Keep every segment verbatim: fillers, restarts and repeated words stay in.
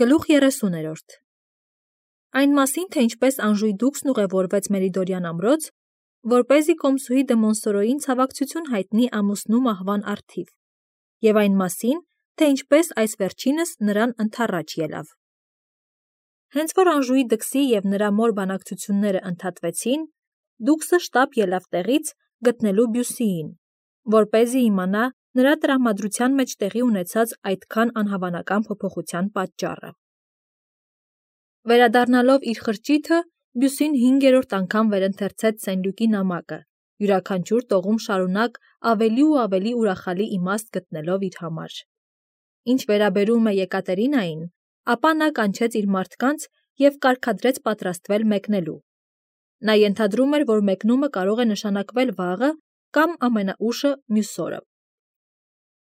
Գլուխ երեսուներորդ Այն մասին, թե ինչպես Անժուի դուքսն ուղևորվեց Մերիդորյան ամրոց, որպեսզի Կոմսուհի դը Մոնսորոյին ցավակցություն հայտնի ամուսնու մահվան առթիվ, և այն մասին, թե ինչպես այս վերջինս նրան ընդառաջ ելավ։ Հենց որ Անժուի դքսի և նրա մոր բանակցությունները ընդհատվեցին, դուքսը շտապ ելավ տեղից գտնելու Բյուսիին, որպեսզի իմանա նրա տրամադրության մեջ տեղի ունեցած այդքան անհավանական փոփոխության պատճառը։ Վերադառնալով իր խրճիթը, Բյուսին հինգերորդ անգամ վերընթերցեց Սեն-Լյուկի նամակը, յուրաքանչյուր տողում շարունակ ավելի ու ավելի ուրախալի իմաստ գտնելով իր համար։ Ինչ վերաբերում է Եկատերինային, ապա նա կանչեց իր մարդկանց և կարգադրեց պատրաստվել մեկնելու։ Նա ենթադրում էր, որ մեկնումը կարող է նշանակվել վաղը կամ ամենաուշը մյուս օրը։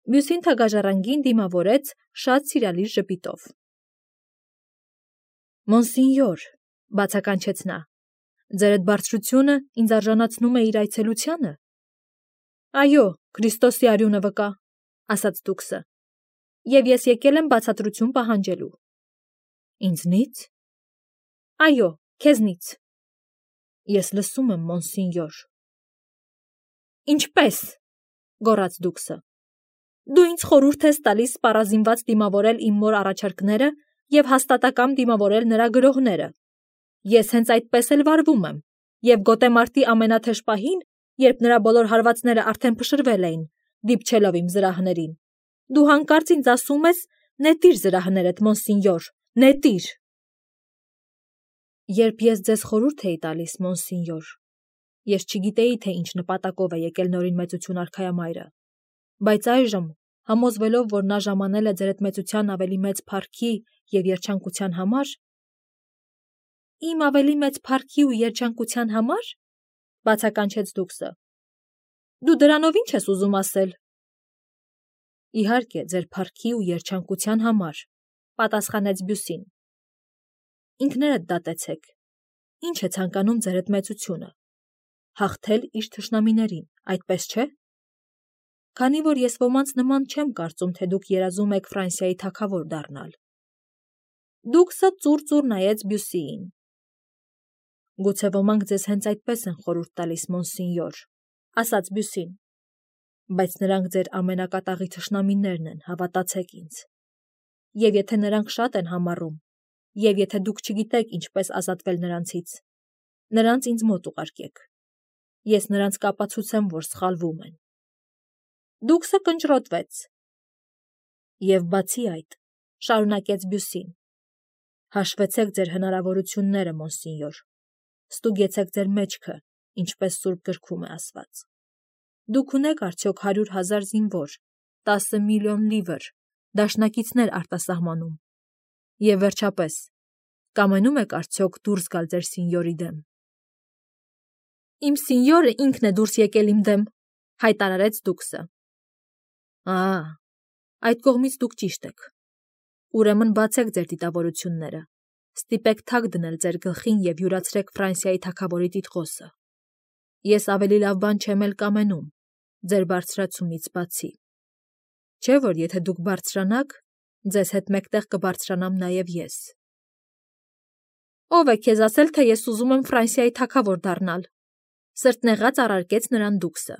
Բյուսին թագաժառանգին դիմավորեց շատ սիրալիր ժպիտով։ «Մոնսինյոր», բացականչեց նա, «ձերդ բարձրությունը ինձ արժանացնում է իր այցելությանը»։ «Այո, Քրիստոսի արյունը վկա», ասաց դուքսը, «և ես եկել եմ բացատրություն պահանջելու»։ «Ինձնի՞ց»։ «Այո, քեզնից»։ «Ես լսում եմ, մոնսինյոր»։ «Ինչպե՞ս», գոռաց դուքսը։ «Դու ինձ խորհուրդ ես տալիս սպառազինված դիմավորել իմ մոր առաջարկները և հաստատակամ դիմավորել նրա գրոհները։ Ես հենց այդպես էլ վարվում եմ, և գոտեմարտի ամենաթեժ պահին, երբ նրա բոլոր հարվածները արդեն փշրվել էին, դիպչելով իմ զրահներին, դու հանկարծ ինձ ասում ես. «Նետիր զրահներդ, մոնսինյոր, նետիր»։ Երբ ես ձեզ խորհուրդ էի տալիս, մոնսինյոր, ես չգիտեի, թե ինչ նպատակով է եկել Նորին մեծություն արքայամայրը, բայց այժմ, համոզվելով, որ նա ժամանել է ձերդ մեծության ավելի մեծ փառքի և երջանկության համար… «Իմ ավելի մեծ փառքի ու երջանկության համար», բացականչեց դուքսը։ «Դու դրանով ի՞նչ ես ուզում ասել»։ «Իհարկե, ձեր փառքի ու երջանկության համար», պատասխանեց Բյուսին։ «Ինքներդ դատեցեք, ի՞նչ է ցանկանում ձերդ մեծությունը, հաղթել իր թշնամիներին, այդպես չէ՞։ Քանի որ ես ոմանց նման չեմ կարծում, թե դուք երազում եք Ֆրանսիայի թագավոր դառնալ»։ Դուքսը ծուռ-ծուռ նայեց Բյուսիին։ «Գուցե ոմանք ձեզ հենց այդպես են խորհուրդ տալիս, մոնսինյոր», ասաց Բյուսին, «բայց նրանք ձեր ամենակատաղի թշնամիներն են, հավատացեք ինձ։ Եվ եթե նրանք շատ են համառում, և եթե դուք չգիտեք ինչպես ազատվել նրանցից, նրանց ինձ մոտ ուղարկեք։ Ես նրանց կապացուցեմ, որ սխալվում են»։ Դուքսը կնճռոտվեց։ «Եվ բացի այդ», շարունակեց Բյուսին, «հաշվեցեք ձեր հնարավորությունները, մոնսինյոր, ստուգեցեք ձեր մեջքը, ինչպես Սուրբ գրքում է ասված։ Դուք ունեք արդյոք հարյուր հազար զինվոր, տասը միլիոն լիվր, դաշնակիցներ արտասահմանում։ Եվ վերջապես, կամենում եք արդյոք դուրս գալ ձեր սինյորի դեմ»։ «Իմ սինյորը ինքն է դուրս եկել իմ դեմ», հայտարարեց դուքսը։ «Ա՜, այդ կողմից դուք ճիշտ եք։ Ուրեմն բացեք ձեր դիտավորությունները, ստիպեք թագ դնել ձեր գլխին և յուրացրեք Ֆրանսիայի թագավորի տիտղոսը։ Ես ավելի լավ բան չեմ էլ կամենում, ձեր բարձրացումից բացի։ Չէ՞ որ եթե դուք բարձրանաք, ձեզ հետ մեկտեղ կբարձրանամ նաև ես»։ «Ո՞վ է քեզ ասել, թե ես ուզում եմ Ֆրանսիայի թագավոր դառնալ», սրտնեղած առարկեց նրան դուքսը։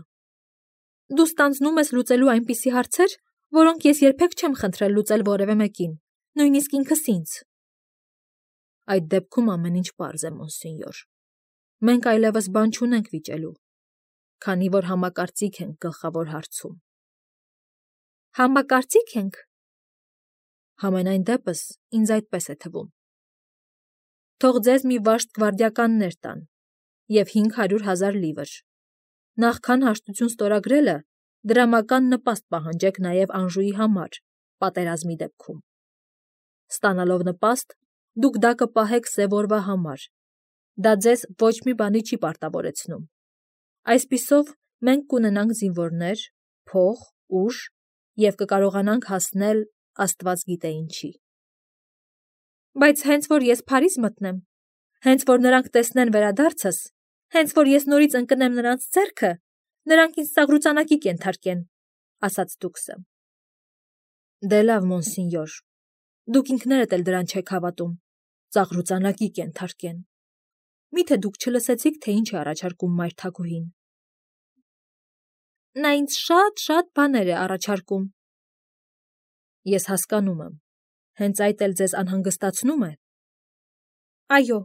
«Դու ստանձնում ես լուծելու այնպիսի հարցեր, որոնք ես երբեք չեմ խնդրել լուծել որևէ մեկին, նույնիսկ ինքս ինձ»։ «Այդ դեպքում ամեն ինչ պարզ է, մոնսինյոր։ Մենք այլևս բան չունենք վիճելու, քանի որ համակարծիք ենք գլխավոր հարցում»։ «Համակարծի՞ք ենք»։ «Համենայն դեպս, ինձ այդպես է թվում»։ «Թող ձեզ մի վաշտ գվարդիականներ տան և հինգ հարյուր հազար լիվր։ Նախքան հաշտություն ստորագրելը, դրամական նպաստ պահանջեք նաև Անժուի համար, պատերազմի դեպքում։ Ստանալով նպաստ, դուք դա կպահեք սև օրվա համար, դա ձեզ ոչ մի բանի չի պարտավորեցնում։ Այսպիսով, մենք կունենանք զինվորներ, փող, ուժ և կկարողանանք հասնել աստված գիտե ինչի»։ «Բայց հենց որ ես Փարիզ մտնեմ, հենց որ նրանք տեսնեն վերադարձս, հենց որ ես նորից ընկնեմ նրանց ձեռքը, նրանք ինձ սաղրուծանակի կենթարկեն», ասաց դուքսը։ «Դե լավ, մոնսինյոր, Դուք ինքներդ էլ դրան չեք հավատում, ծաղրուծանակի կենթարկեն։ Միթե դուք չլսեցիք, թե ինչ է առաջարկում մայր Թագուհին։ Նա ինձ շատ-շատ բաներ է առաջարկում։ Ես հասկանում եմ, հենց այդ էլ ձեզ անհանգստացնում է։ Այո։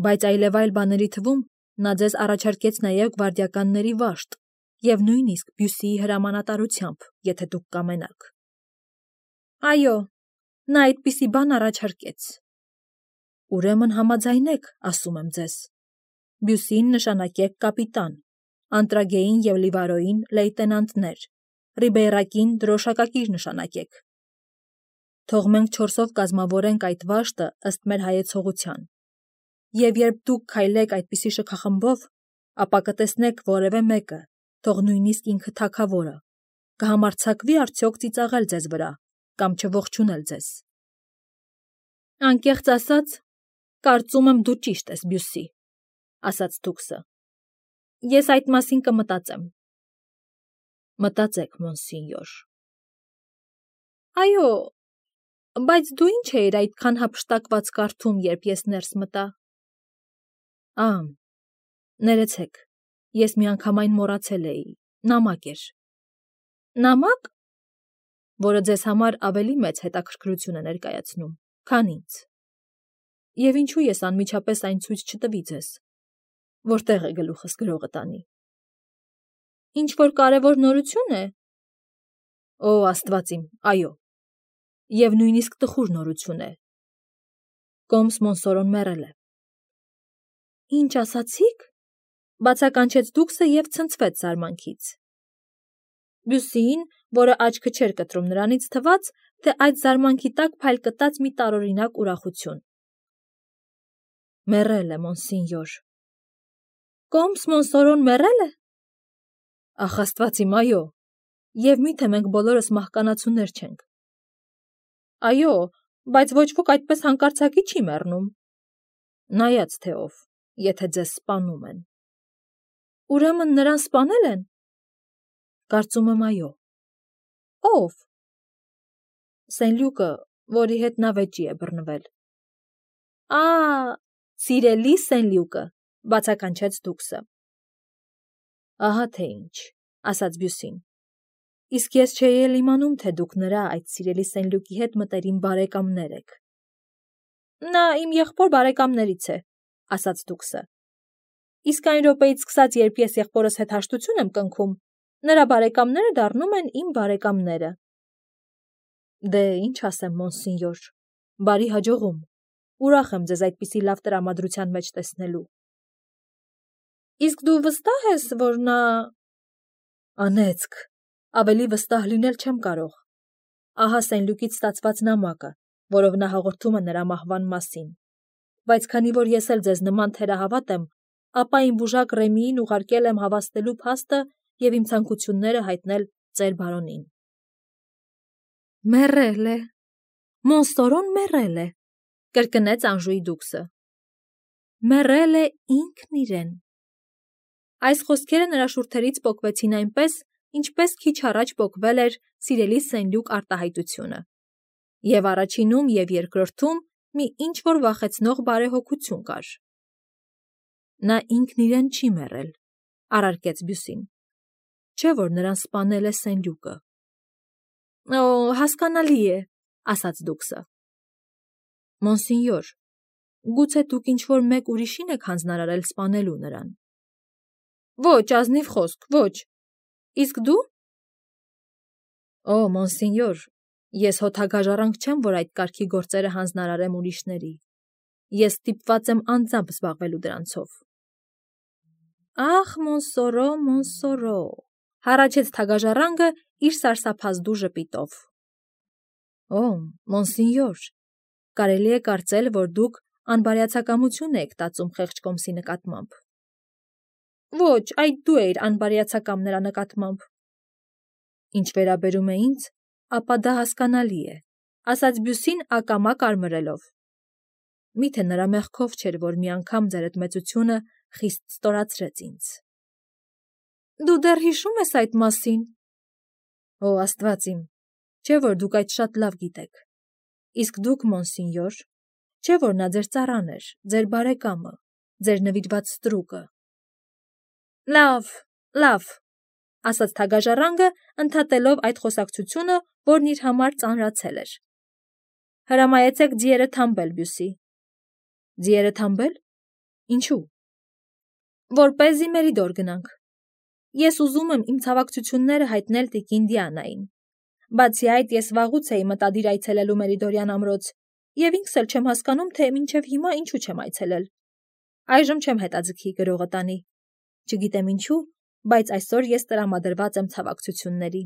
Բայց այլևայլ բաների թվում նա ձեզ առաջարկեց նաև գվարդիականների վաշտ և նույնիսկ Բյուսիի հրամանատարությամբ, եթե դուք կամենաք։ Այո, նա այդպիսի բան առաջարկեց։ Ուրեմն համաձայնեք, ասում եմ ձեզ։ Բյուսիին նշանակեք կապիտան, Անտրագեին և Լիվարոյին լեյտենանտներ, Ռիբեյրակին դրոշակակիր նշանակեք։ Թող մենք չորսով կազմավորենք այդ վաշտը ըստ մեր հայեցողության։ Եվ երբ դուք քայլեք այդպիսի շքախմբով, ապա կտեսնեք որևէ մեկը, թող նույնիսկ ինքը թագավորը, կհամարձակվի արդյոք ծիծաղել ձեզ վրա կամ չողջունել ձեզ։ Անկեղծ ասած, կարծում եմ դու ճիշտ ես, Բյուսի, ասաց դուքսը։ Ես այդ մասին կմտածեմ։ Մտածեք, մոնսինյոր։ Այո, բայց դու ինչ էիր այդքան հափշտակված կարդում, երբ ես ներս մտա։ Ա, ներեցեք, ես միանգամայն մոռացել էի, նամակ էր։ Նամակ, որը ձեզ համար ավելի մեծ հետաքրքրություն է ներկայացնում, քան ինձ։ Եվ ինչու ես անմիջապես այն ցույց չտվի ձեզ, որտեղ է գլուխս գրողը տանի։ Ինչ-որ կարևոր նորություն է։ Օ, Աստված իմ, այո։ Եվ նույնիսկ տխուր նորություն է։ Կոմս Մոնսորոն մեռել է։ Ինչ ասացիք, բացականչեց դուքսը և ցնցվեց զարմանքից։ Բյուսիին, որը աչքը չէր կտրում նրանից, թվաց, թե այդ զարմանքի տակ փայլ կտած մի տարօրինակ ուրախություն։ Մեռել է, մոնսինյոր։ Կոմս Մոնսորոն մեռել է։ Ախ, Աստված իմ, այո, և միթե մենք բոլորս մահկանացուներ չենք։ Այո, բայց ոչ ոք այդպես հանկարծակի չի մեռնում։ Նայած թե ով, եթե ձեզ սպանում են։ Ուրեմն նրան սպանել են։ Կարծում եմ այո։ Ո՞վ։ Սենլյուկը, որի հետ նա վեճի է բռնվել։ Ա, սիրելի Սենլյուկը, բացականչեց դուքսը։ Ահա թե ինչ, ասաց Բյուսին։ Իսկ ես չէի էլ իմանում, թե դուք նրա այդ սիրելի Սենլյուկի հետ մտերիմ բարեկամներ եք։ Նա իմ եղբոր բարեկամներից է, ասաց դուքսը։ Իսկ այն րոպեից սկսած, երբ ես եղբորս հետ հաշտություն եմ կնքում, նրա բարեկամները դառնում են իմ բարեկամները։ Դե, ինչ ասեմ, մոնսինյոր, բարի հաջողում։ Ուրախ եմ ձեզ այդպիսի լավ տրամադրության մեջ տեսնելու։ Իսկ դու վստահ ես, որ նա… Անեծք, ավելի վստահ լինել չեմ կարող։ Ահա Սենլյուկից ստացված նամակը, որով նա հաղորդում է նրա մահվան մասին։ Բայց քանի որ ես էլ ձեզ նման թերահավատ եմ, ապա իմ բուժակ Ռեմիին ուղարկել եմ հավաստելու փաստը և իմ ցանկությունները հայտնել ծեր բարոնին։ Մեռել է, Մոնսորոն մեռել է, կրկնեց Անժուի դուքսը։ Մեռել է ինքն իրեն։ Այս խոսքերը նրա շուրթերից պոկվեցին այնպես, ինչպես քիչ առաջ պոկվել էր սիրելի Սենլյուկ արտահայտությունը։ Եվ առաջինում և երկրորդում մի ինչ-որ վախեցնող բարեհոգություն կար։ Նա ինքն իրեն չի մեռել, առարկեց Բյուսին։ Չէ՞ որ նրան սպանել է Սենլյուկը։ Օ, հասկանալի է, ասաց դուքսը։ Մոնսինյոր, գուցե դուք ինչ-որ մեկ ուրիշին եք հանձնարարել սպանելու նրան։ Ոչ, ազնիվ խոսք, ոչ։ Իսկ դու։ Օ, մոնսինյոր, ես հոթագաժառանգ չեմ, որ այդ կարգի գործերը հանձնարարեմ ուրիշների։ Ես ստիպված եմ անձամբ զբաղվելու դրանցով։ Ախ, Մոնսորո, Մոնսորո, հառաչեց թագաժառանգը իր սարսափազդու ժպիտով։ Օ, մոնսինյոր, կարելի է կարծել, որ դուք անբարյացակամություն եք տածում խեղճ Կոմսի նկատմամբ։ Ոչ, այդ դու էիր անբարյացակամ նրա նկատմամբ։ Ինչ վերաբերում է ինձ, ապա դա հասկանալի է, ասաց Բյուսին ակամա կարմրելով։ Միթե նրա մեղքով չէր, որ մի անգամ ձեր այդ մեծությունը խիստ ստորացրեց ինձ։ Դու դեռ հիշում ես այդ մասին։ Օ, Աստված իմ, չէ՞ որ դուք այդ շատ լավ գիտեք։ Իսկ դուք, մոնսինյոր, չէ՞ որ նա ձեր ծառան էր, ձեր բարեկամը, ձեր նվիրված ստրուկը։ Լավ, լավ, ասաց թագաժառանգը, ընդհատելով այդ խոսակցությունը, որն իր համար ծանրացել էր։ Հրամայեցեք ձիերը թամբել, Բյուսի։ Ձիերը թամբել։ Ինչու։ Որպեսզի Մերիդոր գնանք։ Ես ուզում եմ իմ ցավակցությունները հայտնել տիկին Դիանային։ Բացի այդ, ես վաղուց էի մտադիր այցելելու Մերիդորյան ամրոց, եւ ինքս էլ չեմ հասկանում, թե մինչև հիմա ինչու չեմ այցելել։ Այժմ չեմ հետաձգի գրողը տանի։ Չգիտեմ ինչու, բայց այսօր ես տրամադրված եմ ցավակցությունների։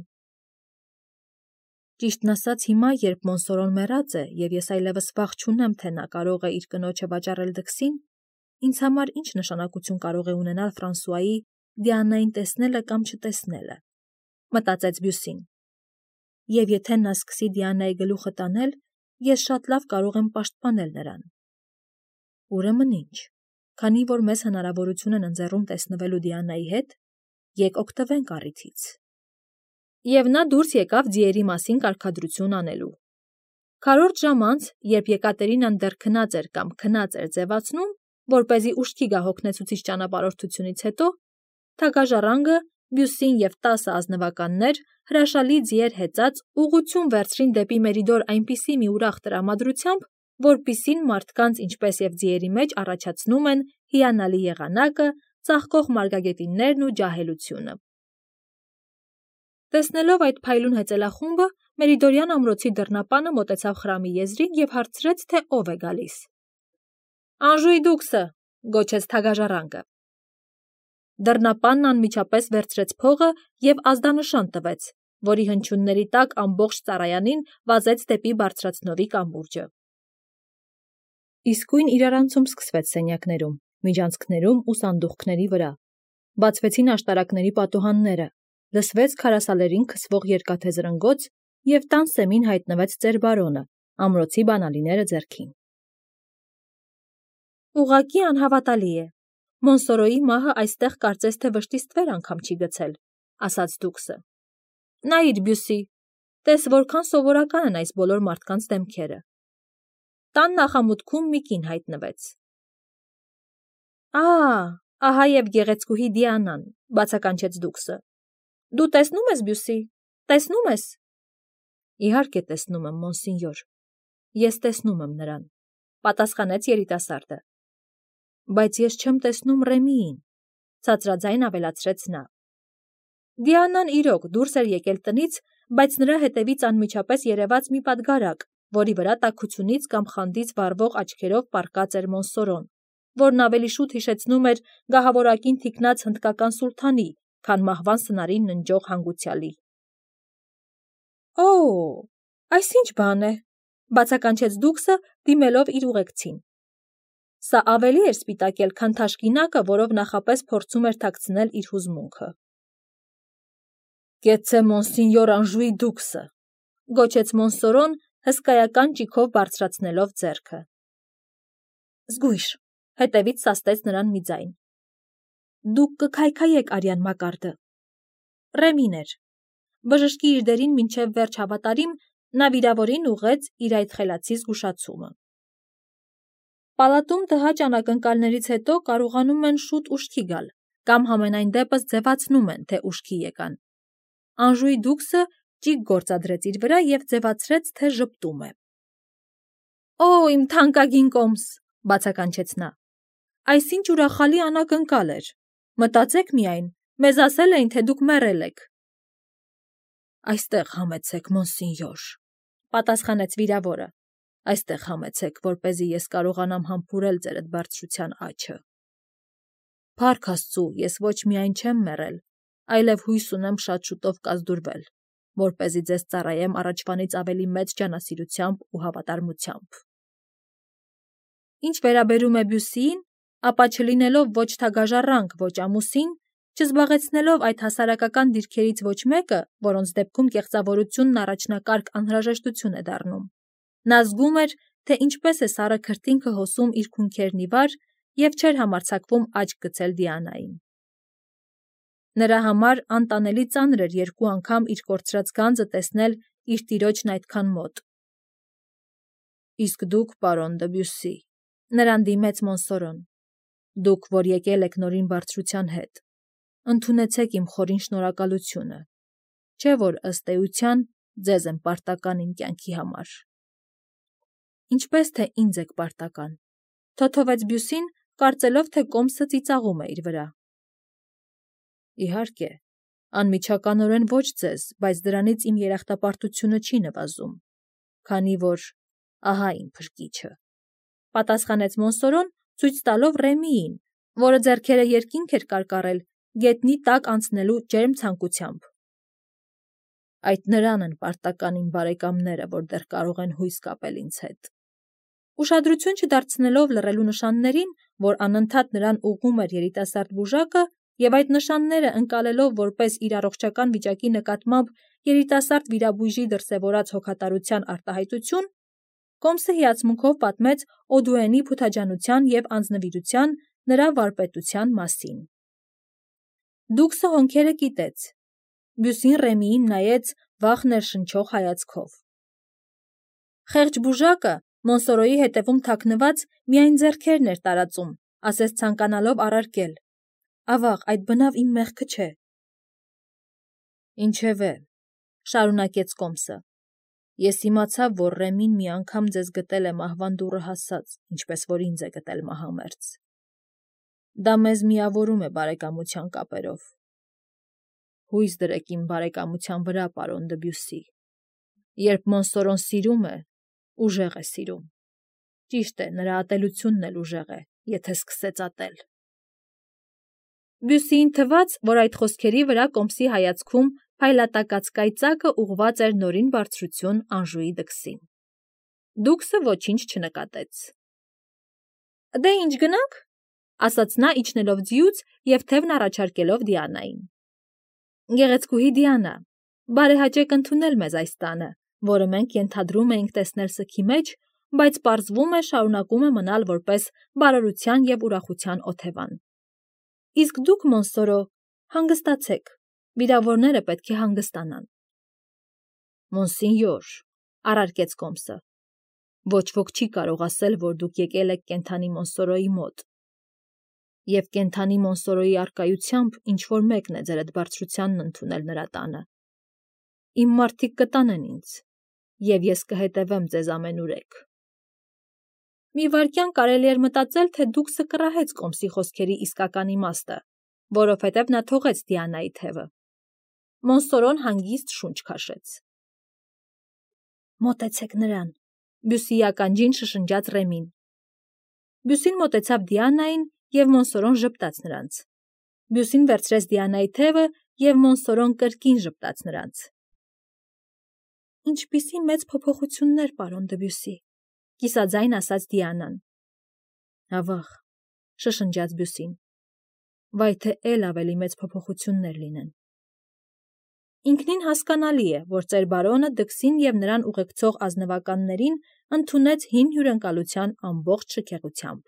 Ճիշտն ասած, հիմա, երբ Մոնսորոն մեռած է, եւ ես այլևս վախ չունեմ, թե նա կարող է իր կնոջը վաճառել դքսին, ինձ համար ինչ նշանակություն կարող է ունենալ Ֆրանսուայի Դիանային տեսնելը կամ չտեսնելը, մտածեց Բյուսին։ Եվ եթե նա սկսի Դիանայի գլուխը տանել, ես շատ լավ կարող եմ պաշտպանել նրան։ Ուրեմն ինչ, քանի որ մեզ հնարավորություն են ընձեռում տեսնվելու Դիանայի հետ, եկ օգտվենք առիթից։ Եվ նա դուրս եկավ ձիերի մասին կարգադրություն անելու։ Քառորդ ժամ անց, երբ Եկատերինան դեռ քնած էր կամ քնած էր ձևացնում, որպեսզի ուշքի գա հոգնեցուցիչ ճանապարհորդությունից հետո, թագաժառանգը, Բյուսին և տասը ազնվականներ հրաշալի ձիեր հեծած ուղղություն վերցրին դեպի Մերիդոր այնպիսի մի ուրախ տրամադրությամբ, որպիսին մարդկանց, ինչպես և ձիերի մեջ առաջացնում են հիանալի եղանակը, ծաղկող մարգագետիններն ու ջահելությունը։ Տեսնելով այդ փայլուն հեծելախումբը, Մերիդորյան ամրոցի դռնապանը մոտեցավ խրամի եզրին և հարցրեց, թե ով է գալիս։ Անժուի դուքսը, գոչեց թագաժառանգը։ Դռնապանն անմիջապես վերցրեց փողը և ազդանշան տվեց, որի հնչյունների տակ ամբողջ ծառայանին վազեց դեպի բարձրացնովի կամուրջը։ Իսկույն իրարանցում սկսվեց սենյակներում, միջանցքներում ու սանդուղքների վրա։ Բացվեցին աշտարակների պատուհանները, լսվեց քարասալերին քսվող երկաթե զրնգոց և տան սեմին հայտնվեց ծեր-բարոնը, ամրոցի բանալիները ձեռքին։ Ուղղակի անհավատալի է։ Մոնսորոյի մահը այստեղ կարծես թե վշտի ստվեր անգամ չի գցել, ասաց դուքսը։ Նայիր, Բյուսի, տես որքան սովորական են այս բոլոր մարդկանց դեմքերը։ Տան նախամուտքում մի կին հայտնվեց։ Ա, ահա և գեղեցկուհի Դիանան, բացականչեց դուքսը։ Դու տեսնում ես, Բյուսի, տեսնում ես։ Իհարկե տեսնում եմ, մոնսինյոր։ Ես տեսնում եմ նրան, պատասխանեց երիտասարդը։ Բայց ես չեմ տեսնում Ռեմիին, ցածրաձայն ավելացրեց նա։ Դիանան իրոք դուրս էր եկել տնից, բայց նրա հետևից անմիջապես երևաց մի պատգարակ, որի վրա տաքությունից կամ խանդից վառվող աչքերով պառկած էր Մոնսորոն, որն ավելի շուտ հիշեցնում էր գահավորակին թիկնած հնդկական սուլթանի, քան մահվան սնարին ննջող հանգուցյալի։ Օ, այս ինչ բան է, բացականչեց դուքսը, դիմելով իր ուղեկցին։ Սա ավելի էր սպիտակել, քան թաշկինակը, որով նախապես փորձում էր թաքցնել իր հուզմունքը։ Կեցցե մոնսինյոր Անժուի դուքսը, գոչեց Մոնսորոն, հսկայական ճիգով բարձրացնելով ձեռքը։ Զգույշ, հետևից սաստեց նրան մի ձայն։ Դուք կքայքայեք արյան Մակարդը։ Ռեմին էր։ Բժշկի իր դերին մինչև վերջ հավատարիմ, նա վիրավորին ուղղեց իր այդ խելացի զգուշացումը։ Պալատում տհաճ անակնկալներից հետո կարողանում են շուտ ուշքի գալ, կամ համենայն դեպս ձևացնում են, թե ուշքի եկան։ Անժուի դուքսը ճիգ գործադրեց իր վրա և ձևացրեց, թե ժպտում է։ Օ, իմ թանկագին կոմս, բացականչեց նա։ Այսինչ ուրախալի անակնկալ էր։ Մտածեք միայն, մեզ ասել էին, թե դուք մեռել եք։ Այստեղ համեցեք, մոնսինյոր, պատասխանեց վիրավորը։ Այստեղ համեցեք, որպեսզի ես կարողանամ համբուրել ձեր բարձրության աչը։ Փառք Աստծու, ես ոչ միայն չեմ մեռել, այլև հույս ունեմ շատ շուտով կազդուրվել, որպեսզի ձեզ ծառայեմ առաջվանից ավելի մեծ ջանասիրությամբ ու հավատարմությամբ։ Ինչ վերաբերում է Բյուսիին, ապա չլինելով ոչ թագաժառանգ, ոչ ամուսին, չզբաղեցնելով այդ հասարակական դիրքերից ոչ մեկը, որոնց դեպքում կեղծավորությունն առաջնակարգ անհրաժեշտություն է դառնում, նա զգում էր, թե ինչպես է սառը քրտինքը հոսում իր քունքերն ի վար և չէր համարձակվում աչք գցել Դիանային։ Նրա համար անտանելի ծանր էր երկու անգամ իր կորցրած գանձը տեսնել իր տիրոջն այդքան մոտ։ Իսկ դուք, պարոն Դեբյուսի, նրան դիմեց Մոնսորոն, դուք, որ եկել եք նորին բարձրության հետ, ընդունեցեք իմ խորին շնորհակալությունը, չէ՞ որ ըստ էության ձեզ եմ պարտական իմ կյանքի համար։ Ինչպես թե ինձ եք պարտական, թոթովեց Բյուսին, կարծելով, թե կոմսը ծիծաղում է իր վրա։ Իհարկե, անմիջականորեն ոչ ձեզ, բայց դրանից իմ երախտապարտությունը չի նվազում, քանի որ ահա իմ փրկիչը, պատասխանեց Մոնսորոն, ցույց տալով Ռեմիին, որը ձեռքերը երկինք էր կարկառել գետնի տակ անցնելու ջերմ ցանկությամբ։ Այդ նրան են պարտական իմ բարեկամները, որ դեռ կարող են հույս կապել ինձ հետ։ Ուշադրություն չդարձնելով լռելու նշաններին, որ անընդհատ նրան ուղղում էր երիտասարդ բուժակը, եւ այդ նշանները ընկալելով որպես իր առողջական վիճակի նկատմամբ երիտասարդ վիրաբույժի դրսևորած հոգատարության արտահայտություն, Կոմսը հիացմունքով պատմեց Օդուենի փութաջանության եւ անձնվիրության նրա վարպետության մասին։ Դուքսը հոնքերը կիտեց։ Բյուսին Ռեմիին նայեց վախ ներշնչող հայացքով։ Խեղճ բուժակը Մոնսորոյի հետևում թաքնված միայն ձեռքերն էր տարածում, ասես ցանկանալով առարկել. Ավաղ, այդ բնավ իմ մեղքը չէ։ Ինչևէ, շարունակեց Կոմսը, ես իմացա, որ Ռեմին մի անգամ ձեզ գտել է մահվան դուռը հասած, ինչպես որ ինձ է գտել մահամերձ։ Դա մեզ միավորում է բարեկամության կապերով։ Հույս դրեք իմ բարեկամության վրա, պարոն Դեբյուսի։ Երբ Մոնսորոն սիրում է, ուժեղ է սիրում։ Ճիշտ է, նրա ատելությունն էլ ուժեղ է, եթե սկսեց ատել։ Բյուսիին թվաց, որ այդ խոսքերի վրա Կոմսի հայացքում փայլատակած կայծակը ուղղված էր նորին բարձրություն Անժուի դքսին։ Դուքսը ոչինչ չնկատեց։ Դե ինչ գնանք, ասաց նա իջնելով ձիուց եւ թևն առաջարկելով Դիանային։ Գեղեցկուհի Դիանա, բարեհաճեք ընդունել մեզ այս տանը, որը մենք ենթադրում էինք տեսնել սգի մեջ, բայց պարզվում է շարունակում է մնալ որպես բարօրության եւ ուրախության օթևան։ Իսկ դուք, Մոնսորո, հանգստացեք, վիրավորները պետք է հանգստանան։ Մոնսինյոր, առարկեց Կոմսը, ոչ ոք չի կարող ասել, որ դուք եկել եք կենդանի Մոնսորոյի մոտ։ Եվ կենդանի Մոնսորոյի առկայությամբ ինչ-որ մեկն է ձեր այդ բարձրությանն ընդունել նրա տանը։ Իմ մարդիկ կտանեն ինձ, եւ ես կհետևեմ ձեզ ամենուրեք։ Մի վայրկյան կարելի էր մտածել, թե դուքսը կռահեց Կոմսի խոսքերի իսկական իմաստը, որովհետև նա թողեց Դիանայի թևը։ Մոնսորոն հանգիստ շունչ քաշեց։ Մոտեցեք նրան, Բյուսիի ականջին շշնջաց Ռեմին։ Բյուսին մոտեցավ Դիանային, եւ Մոնսորոն ժպտաց նրանց։ Բյուսին վերցրեց Դիանայի թևը, եւ Մոնսորոն կրկին ժպտաց նրանց։ Ինչպիսի մեծ փոփոխություններ, պարոն Դեբյուսի, կիսաձայն ասաց Դիանան։ Ավաղ, շշնջաց Բյուսին, վայ թե էլ ավելի մեծ փոփոխություններ լինեն։ Ինքնին հասկանալի է, որ ծեր բարոնը դքսին եւ նրան ուղեկցող ազնվականներին ընդունեց հին հյուրընկալության ամբողջ շքեղությամբ։